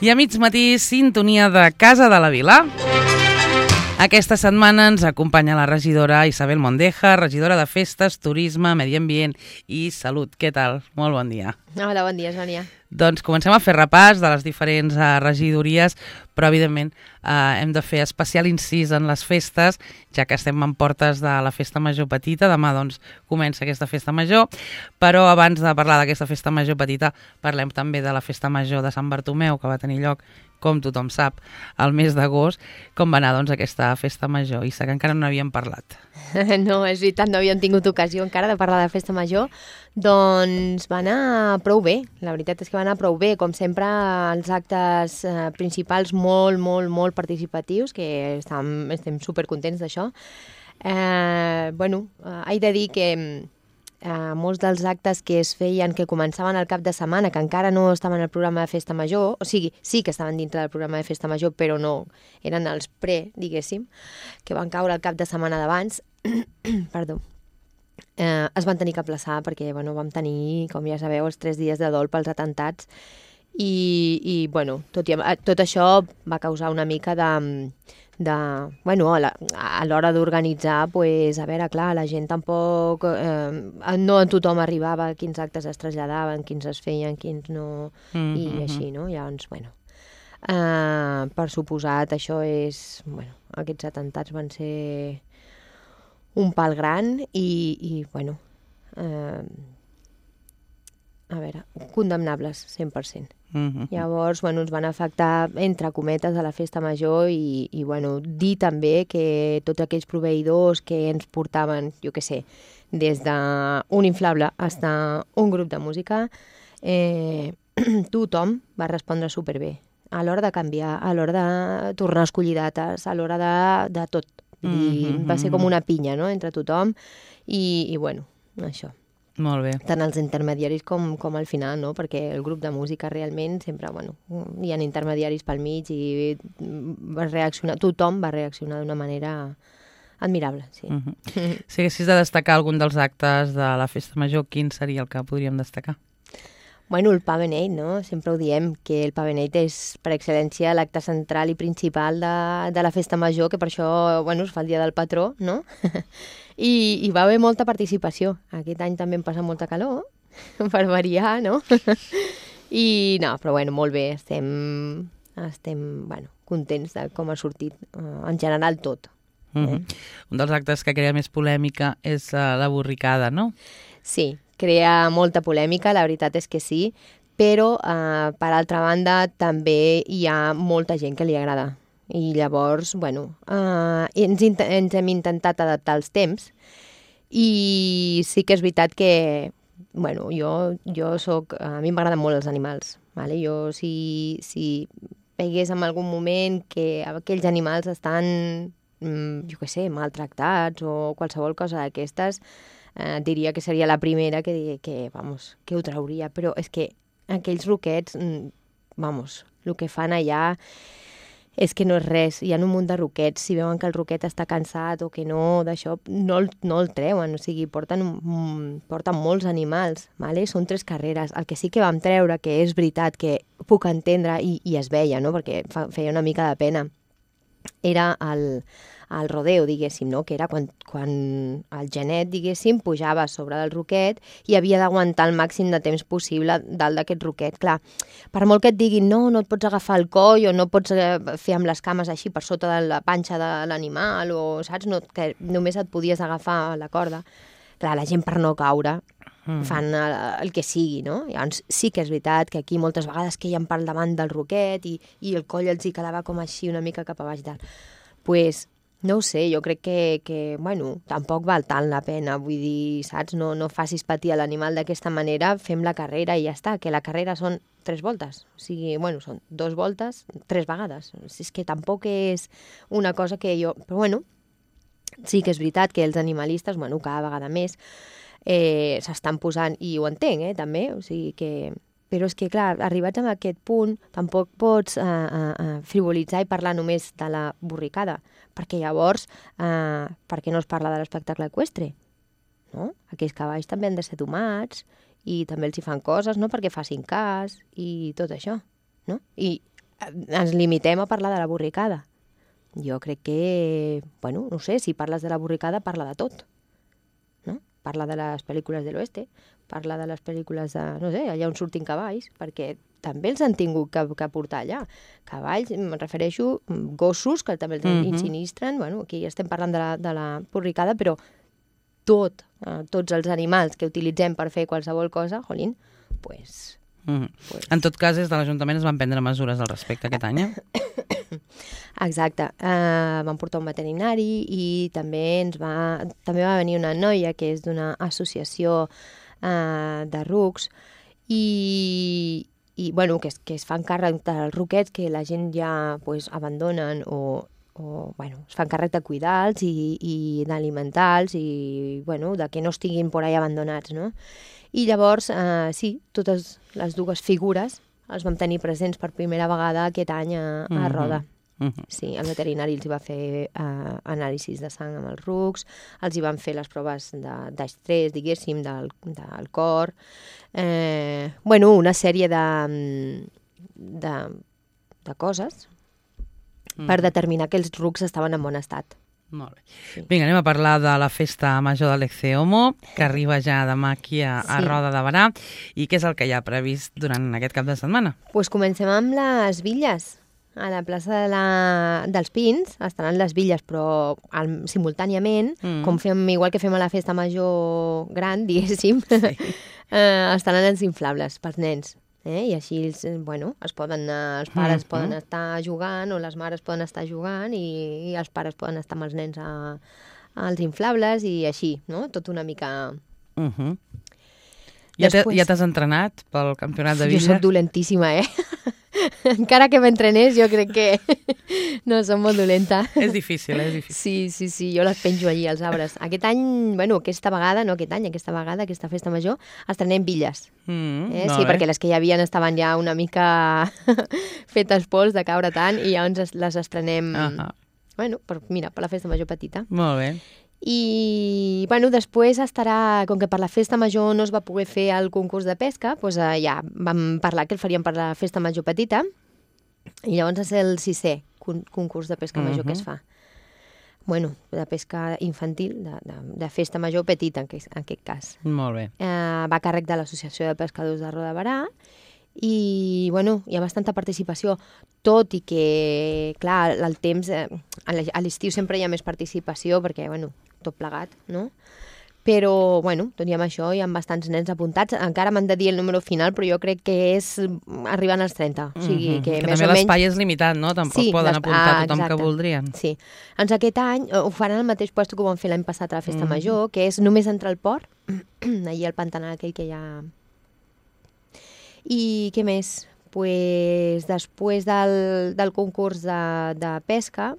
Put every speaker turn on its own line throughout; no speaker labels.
I a mig matí, sintonia de Casa de la Vila. Aquesta setmana ens acompanya la regidora Isabel Mondeja, regidora de Festes, Turisme, Medi Ambient i Salut. Què tal? Molt bon dia.
Hola, bon dia, Sònia.
Doncs comencem a fer repàs de les diferents regidories, però evidentment hem de fer especial incís en les festes, ja que estem en portes de la Festa Major Petita. Demà doncs comença aquesta Festa Major, però abans de parlar d'aquesta Festa Major Petita parlem també de la Festa Major de Sant Bartomeu, que va tenir lloc, com tothom sap, al mes d'agost. Com va anar doncs aquesta Festa Major? Issa, que encara no n'havíem parlat.
No, és veritat, no havíem tingut ocasió encara de parlar de Festa Major. Doncs va anar prou bé, la veritat és que va anar prou bé. Com sempre, els actes principals molt participatius, que estem supercontents d'això. He de dir que molts dels actes que es feien, que començaven al cap de setmana, que encara no estaven al programa de Festa Major, o sigui, sí que estaven dintre del programa de Festa Major, però no, eren els diguéssim, que van caure al cap de setmana d'abans, perdó, es van tenir que aplaçar perquè vam tenir, com ja sabeu, els 3 dies de dol pels atemptats i tot això va causar una mica a l'hora d'organitzar, a veure, clar, la gent tampoc, no a tothom arribava quins actes es traslladaven, quins es feien, quins no, i així, no? Llavors, per suposat, això és, aquests atemptats van ser un pal gran i condemnables, 100%. Llavors, ens van afectar, entre cometes, a la Festa Major i dir també que tots aquells proveïdors que ens portaven, jo què sé, des d'un inflable fins a un grup de música, tothom va respondre superbé. A l'hora de canviar, a l'hora de tornar a escollir dates, a l'hora de tot. Va ser com una pinya, no?, entre tothom i això.
Molt bé.
Tant els intermediaris com al final, no? Perquè el grup de música realment sempre, hi ha intermediaris pel mig i tothom va reaccionar d'una manera admirable, sí.
Si haguessis de destacar algun dels actes de la Festa Major, quin seria el que podríem destacar?
El Pa Beneit, no? Sempre ho diem, que el Pa Beneit és, per excel·lència, l'acte central i principal de la Festa Major, que per això, es fa el dia del patró, no? I va haver molta participació. Aquest any també em passa molta calor, per variar, no? Però molt bé, estem contents de com ha sortit, en general, tot.
Un dels actes que crea més polèmica és la borricada, no?
Sí, crea molta polèmica, la veritat és que sí, però, per altra banda, també hi ha molta gent que li agrada. I llavors, ens hem intentat adaptar als temps i sí que és veritat que, jo soc... A mi m'agraden molt els animals, vale? Jo, si veigués en algun moment que aquells animals estan, jo què sé, maltractats o qualsevol cosa d'aquestes, diria que seria la primera que ho trauria. Però és que aquells ruquets, el que fan allà és que no és res. Hi ha un munt de ruquets. Si veuen que el ruquet està cansat o que no, d'això, no el treuen. O sigui, porten molts animals, vale? Són 3 carreres. El que sí que vam treure, que és veritat que puc entendre, i es veia, no?, perquè feia una mica de pena, era el rodeo, diguéssim, no?, que era quan el genet, diguéssim, pujava sobre del ruquet i havia d'aguantar el màxim de temps possible dalt d'aquest ruquet. Clar, per molt que et diguin no et pots agafar el coll o no pots fer amb les cames així per sota de la panxa de l'animal o, saps, que només et podies agafar la corda. Clar, la gent, per no caure, fan el que sigui, no? Llavors sí que és veritat que aquí moltes vegades queien per davant del ruquet i el coll els hi quedava com així una mica cap a baix dalt. Pues, no ho sé, jo crec que tampoc val tant la pena, vull dir, saps? No facis patir a l'animal d'aquesta manera, fem la carrera i ja està, que la carrera són 3 voltes, o sigui, són 2 voltes, 3 vegades. És que tampoc és una cosa que jo... Però sí que és veritat que els animalistes, cada vegada més, s'estan posant, i ho entenc, també, o sigui que... Però és que, clar, arribats a aquest punt, tampoc pots frivolitzar i parlar només de la borricada, perquè llavors, per què no es parla de l'espectacle eqüestre? No? Aquells cavalls també han de ser domats i també els hi fan coses, no?, perquè facin cas i tot això, no? I ens limitem a parlar de la borricada. Jo crec que, bueno, no sé, si parles de la borricada, parla de tot. No? Parla de les pel·lícules de l'oeste, parla de les pel·lícules de, no sé, allà on surtin cavalls, perquè també els han tingut que portar allà. Cavalls, em refereixo, gossos, que també els insinistren. Bueno, aquí estem parlant de la borricada, però tots els animals que utilitzem per fer qualsevol cosa, jolín, pues...
En tot cas, des de l'Ajuntament es van prendre mesures al respecte aquest any.
Exacte. Vam portar un veterinari i també va venir una noia que és d'una associació de rucs i bueno, que es fan càrrec dels ruquets que la gent ja pues, abandonen o bueno, es fan càrrec de cuidar-los i d'alimentar-los i bueno, de que no estiguin por ahí abandonats, no? I llavors, sí, totes les dues figures els vam tenir presents per primera vegada aquest any a Roda. Sí, el veterinari els va fer anàlisis de sang amb els rucs, els hi van fer les proves d'estrès, diguéssim, del cor. Bueno, una sèrie de coses per determinar que els rucs estaven en bon estat.
Molt bé. Sí. Vinga, anem a parlar de la festa major de l'Ecceomo, que arriba ja demà aquí a Roda de Berà. I què és el que hi ha previst durant aquest cap de setmana?
Pues comencem amb les bitlles. A la plaça dels Pins estaran les bitlles, però simultàniament, igual que fem a la festa major gran, diguéssim, estaran els inflables pels nens. I així, bueno, els pares poden estar jugant o les mares poden estar jugant i els pares poden estar amb els nens als inflables i així, no? Tot una mica...
Ja t'has entrenat pel campionat de bitlles?
Jo soc dolentíssima, Encara que m'entrenés, jo crec que no, som molt dolenta.
És difícil, és difícil.
Sí, jo les penjo allí als arbres. Aquest any, bueno, aquesta festa major, estrenem bitlles. Sí, perquè les que hi havia estaven ja una mica fetes pols de caure tant i llavors les estrenem, bueno, per la festa major petita.
Molt bé.
I, bueno, després estarà, com que per la festa major no es va poder fer el concurs de pesca, doncs ja vam parlar que el faríem per la festa major petita, i llavors és el 6è concurs de pesca major que es fa. Bueno, de pesca infantil, de festa major petita, en aquest cas.
Molt bé.
Va a càrrec de l'Associació de Pescadors de Roda de Berà, i, bueno, hi ha bastanta participació, tot i que, clar, el temps, a l'estiu sempre hi ha més participació, perquè, bueno, tot plegat, no? Però, bueno, tot i amb això hi ha bastants nens apuntats. Encara m'han de dir el número final, però jo crec que és arribant als 30. O sigui, que més
també
o menys...
l'espai és limitat, no? Tampoc poden apuntar tothom que voldrien.
Sí. Doncs aquest any ho faran al mateix lloc que ho van fer l'any passat a la Festa Major, que és només entre el port, allà al pantanal aquell que hi ha... I què més? Pues, després del concurs de pesca,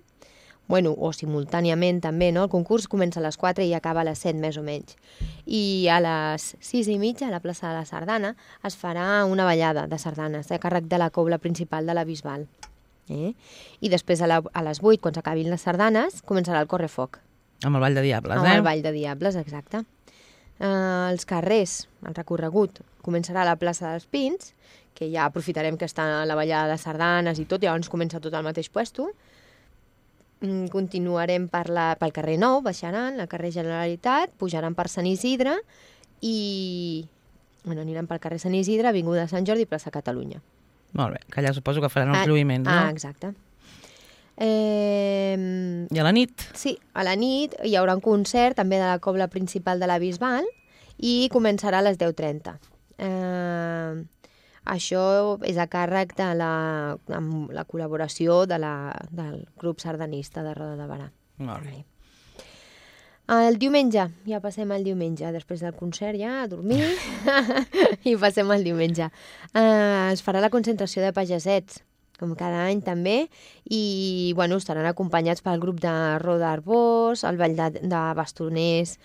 bueno, o simultàniament també, no? El concurs comença a les 4 i acaba a les 7 més o menys. I a les 6:30 a la plaça de la Sardana es farà una ballada de sardanes a càrrec de la cobla principal de la Bisbal. I després a les 8, quan s'acabin les sardanes, començarà el correfoc.
Amb el Ball de Diables,
Amb el Ball de Diables, exacte. Els carrers, el recorregut, començarà a la plaça dels Pins, que ja aprofitarem que està la ballada de sardanes i tot, i llavors comença tot al mateix puesto. Continuarem pel carrer Nou, baixaran, al carrer Generalitat, pujaran per Sant Isidre i aniran pel carrer Sant Isidre, Avinguda Sant Jordi i plaça Catalunya.
Molt bé, que allà suposo que faran els lluïments, no?
Exacte.
I a la nit?
Sí, a la nit hi haurà un concert també de la cobla principal de la Bisbal i començarà a les 10:30. Això és a càrrec amb la col·laboració del grup sardanista de Roda de Berà.
Molt bé.
El diumenge, ja passem al diumenge, després del concert ja a dormir i passem al diumenge. Es farà la concentració de pagesets, com cada any també, i bueno, estaran acompanyats pel grup de Roda Arbós, el Ball de Bastoners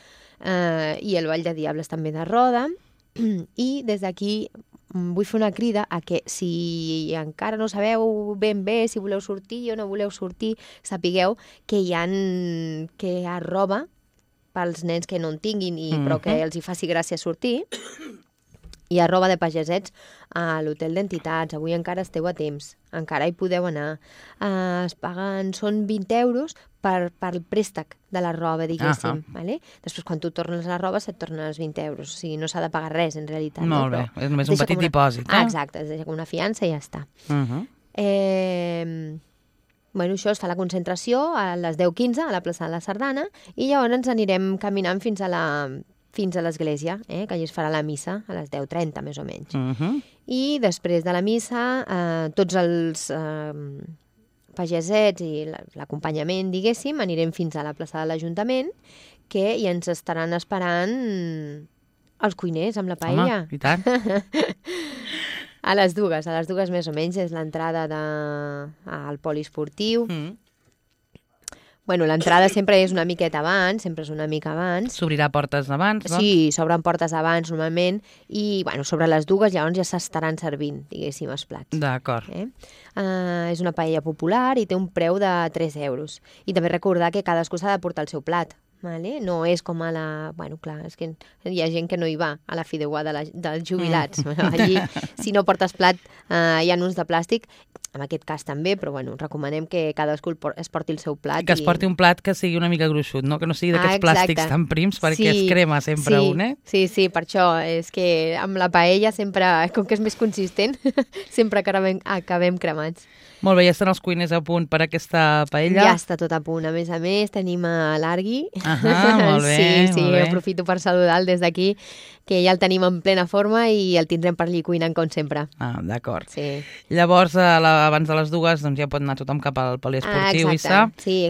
i el Ball de Diables també de Roda, i des d'aquí vull fer una crida a que si encara no sabeu ben bé si voleu sortir o no voleu sortir, sapigueu que hi ha roba pels nens que no en tinguin però que els hi faci gràcia sortir. I a roba de pagesets a l'hotel d'entitats. Avui encara esteu a temps. Encara hi podeu anar. Es paguen, són 20 euros per el préstec de la roba, diguéssim. Vale? Després, quan tu tornes la roba, se't tornen els 20 euros. O sigui, no s'ha de pagar res, en realitat.
Molt bé, és només un petit dipòsit.
Exacte, es deixa com una fiança i ja està. Bueno, això es fa la concentració a les 10:15 a la plaça de la Sardana i llavors ens anirem caminant fins a l'església, que allà es farà la missa a les 10:30, més o menys. I després de la missa, tots els pagesets i l'acompanyament, diguéssim, anirem fins a la plaça de l'Ajuntament, que ja ens estaran esperant els cuiners amb la paella.
Home, i tant.
A les dues més o menys, és l'entrada al poliesportiu. Bueno, l'entrada sempre és una miqueta abans, sempre és una mica abans.
S'obrirà portes abans, doncs?
Sí, s'obren portes abans, normalment, i bueno, sobre les dues llavors ja s'estaran servint, diguéssim, els plats.
D'acord.
És una paella popular i té un preu de 3 euros. I també recordar que cadascú s'ha de portar el seu plat. Vale? No és com a la... Bueno, clar, és que hi ha gent que no hi va a la fideuà dels jubilats. Allí, si no portes plat, hi ha uns de plàstic, en aquest cas també, però bueno, recomanem que cadascú es porti el seu plat.
Que es porti un plat que sigui una mica gruixut, no? Que no sigui d'aquests plàstics tan prims, perquè es crema sempre un,
Sí, per això. És que amb la paella sempre, com que és més consistent, sempre acabem cremats.
Molt bé, ja estan els cuiners a punt per aquesta paella?
Ja està tot a punt. A més, tenim l'Argui.
Molt bé,
sí,
molt bé.
Aprofito per saludar-lo des d'aquí, que ja el tenim en plena forma i el tindrem per allí cuinant com sempre.
D'acord.
Sí.
Llavors, abans de les dues, doncs ja pot anar tothom cap al poliesportiu, Issa.
Sí.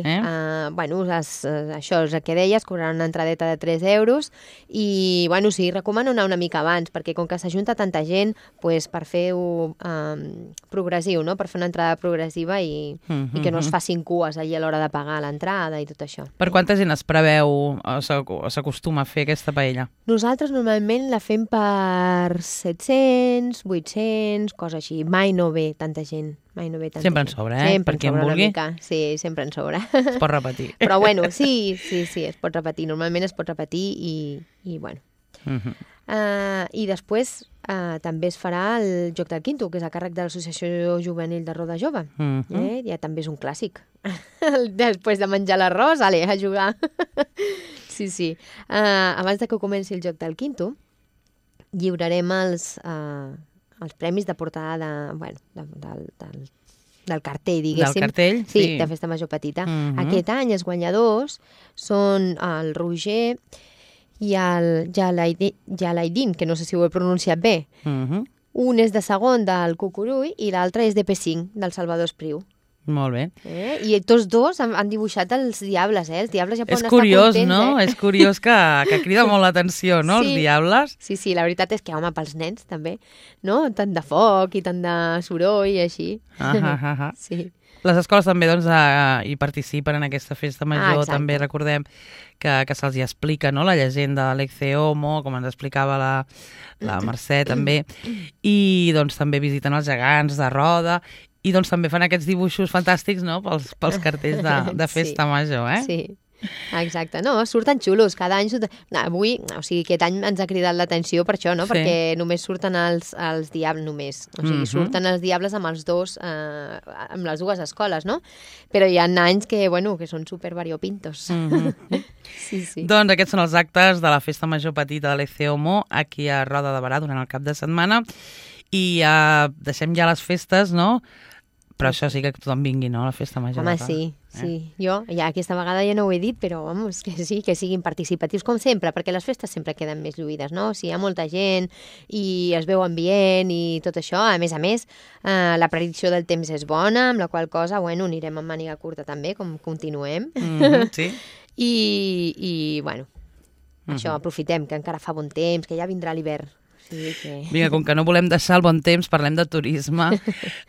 Bueno, això és el que deies, cobraran una entradeta de 3 euros i, bueno, sí, recomano anar una mica abans, perquè com que s'ajunta tanta gent, pues, per fer-ho progressiu, no? Per fer una entrada progressiva i que no es facin cues allà a l'hora de pagar l'entrada i tot això.
Per quanta gent es preveu o s'acostuma a fer aquesta paella?
Nosaltres normalment la fem per 700, 800, cosa així. Mai no ve tanta gent.
Sempre en sobra, per qui en vulgui.
Sí, sempre en sobra.
Es pot repetir.
Però bueno, sí, es pot repetir. Normalment es pot repetir i bueno. I després també es farà el Joc del Quinto, que és a càrrec de l'Associació Juvenil de Roda Jove. Ja també és un clàssic. Després de menjar l'arròs, a jugar. Sí. Abans de que comenci el Joc del Quinto, lliurarem els premis de portada del cartell, diguéssim.
Del cartell?
Sí, de Festa Major Petita. Aquest any els guanyadors són el Roger i el Jalaidin, que no sé si ho he pronunciat bé. Un és de segon del Cucurull i l'altre és de P5, del Salvador Espriu.
Molt bé.
I tots dos han dibuixat els diables, Els diables ja poden
estar contents. És curiós, no?
És
curiós que crida molt l'atenció, no? Els diables.
Sí, la veritat és que, home, pels nens també, no? Tant de foc i tant de soroll i així. Sí.
Les escoles també doncs, hi participen en aquesta festa major. També recordem que se'ls hi explica, no? La llegenda de l'Ecce Homo, com ens explicava la Mercè també. I doncs també visiten els gegants de Roda. I doncs també fan aquests dibuixos fantàstics, no?, pels cartells de festa major,
Sí, exacte. No, surten xulos, cada any surten... Avui, o sigui, aquest any ens ha cridat l'atenció per això, no?, perquè només surten els diables, només. O sigui, surten els diables amb els dos, amb les dues escoles, no? Però hi ha anys que, bueno, que són super variopintos. Sí.
Doncs aquests són els actes de la Festa Major Petita de l'Ecce Homo aquí a Roda de Berà durant el cap de setmana. I deixem ja les festes, no?, però això sí que tothom vingui, no?, a la Festa Major.
Home, sí. Jo ja aquesta vegada ja no ho he dit, però vamos, que sí, que siguin participatius com sempre, perquè les festes sempre queden més lluïdes, no? Si hi ha molta gent i es veu ambient i tot això, a més, la predicció del temps és bona, amb la qual cosa, bueno, anirem amb màniga curta també, com continuem.
Sí.
I bueno, això, aprofitem, que encara fa bon temps, que ja vindrà l'hivern. Sí,
Vinga, com que no volem deixar el bon temps, parlem de turisme.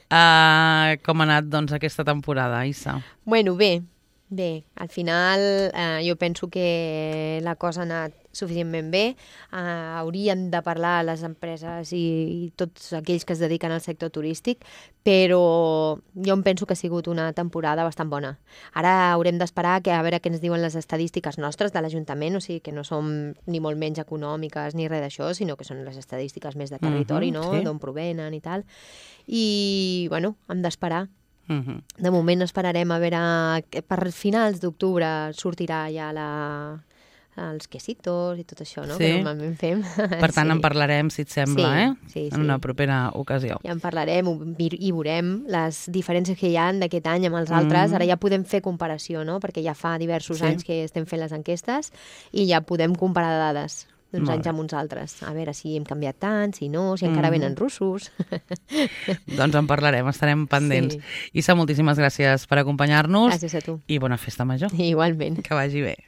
Com ha anat, doncs, aquesta temporada, Issa?
Bueno, bé, Bé, al final jo penso que la cosa ha anat suficientment bé. Hauríem de parlar a les empreses i tots aquells que es dediquen al sector turístic, però jo em penso que ha sigut una temporada bastant bona. Ara haurem d'esperar a veure què ens diuen les estadístiques nostres de l'Ajuntament, o sigui que no som ni molt menys econòmiques ni res d'això, sinó que són les estadístiques més de territori, no?
Sí.
D'on provenen i tal. I, bueno, hem d'esperar. De moment esperarem a veure que per finals d'octubre sortirà ja els quesitos i tot això, no?
Sí.
Que normalment fem.
Per tant, en parlarem, si et sembla,
Sí.
en una propera ocasió.
Ja en parlarem i veurem les diferències que hi ha d'aquest any amb els altres. Ara ja podem fer comparació, no? Perquè ja fa diversos anys que estem fent les enquestes i ja podem comparar dades d'uns anys amb uns altres. A veure si hem canviat tant, si no, si encara venen russos.
Doncs en parlarem, estarem pendents.
Sí.
Issa, moltíssimes gràcies per acompanyar-nos.
Gràcies a tu.
I bona festa major.
Igualment.
Que vagi bé.